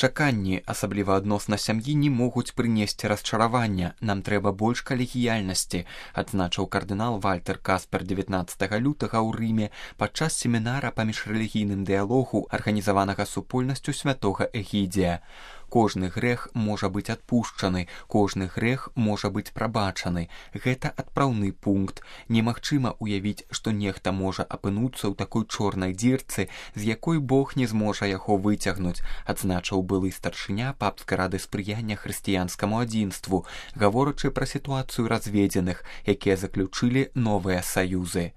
Чаканні, асабліва адносна сям'і, не могуць прынесці расчаравання. Нам трэба больш калегіяльнасці, адзначыў кардынал Вальтер Каспер 19 лютага ў Рыме падчас семінара па міжрэлігійным дыялогу, арганізаванага супольнасцю святога Эгідзія. Кожны грэх можа быць адпушчаны, кожны грэх можа быць прабачаны. Гэта адпраўны пункт. Немагчыма ўявіць, што нехта можа апынуцца ў такой чорнай дзірцы, з якой Бог не зможа яго выцягнуць, адзначыў былы старшыня папскай рады спрыяння хрысціянскаму адзінству, гаворачы пра сітуацыю разведзеных, якія заключылі новыя саюзы.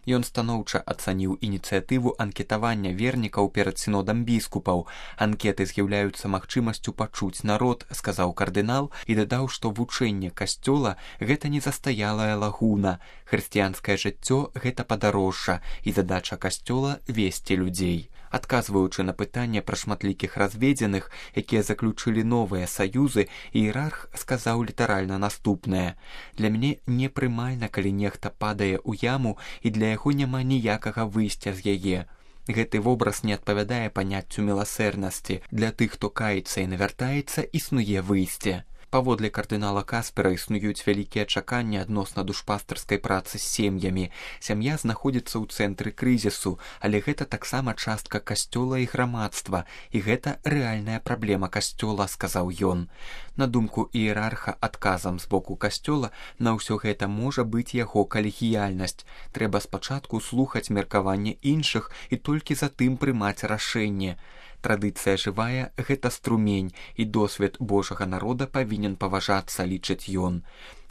Ён станоўча ацаніў ініцыятыву анкетавання вернікаў перад сінодам біскупаў. Анкеты з'яўляюцца магчымасцю пачуць народ, сказаў кардынал, і дадаў, што вучэнне касцёла – гэта не застаялая лагуна. Хрысціянскае жыццё – гэта падарожжа, і задача касцёла – весці людзей. Адказваючы на пытанне пра шматлікіх разведзеных, якія заключылі новыя саюзы, іерарх сказаў літаральна наступнае: «Для мяне непрымальна, калі нехта падае ў яму, і для яго няма ніякага выйсця з яе. Гэты вобраз не адпавядае паняццю міласэрнасці. Для тых, хто каецца і навяртаецца, існуе выйсце». Паводле кардынала Каспера існуюць вялікія чаканні адносна душпастарскай працы з сем'ямі. Сям'я знаходзіцца ў цэнтры крызісу, але гэта таксама частка касцёла і грамадства, і гэта рэальная праблема касцёла, сказаў ён. На думку іерарха, адказам з боку касцёла на ўсё гэта можа быць яго калегіяльнасць. Трэба спачатку слухаць меркаванне іншых і толькі затым прымаць рашэнне. Традыцыя жывая – гэта струмень, і досвед Божага народа павінен паважацца, лічыць ён.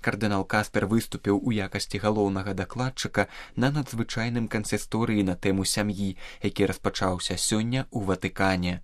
Кардынал Каспер выступіў у якасці галоўнага дакладчыка на надзвычайным кансісторыі на тэму сям'і, які распачаўся сёння ў Ватыкане.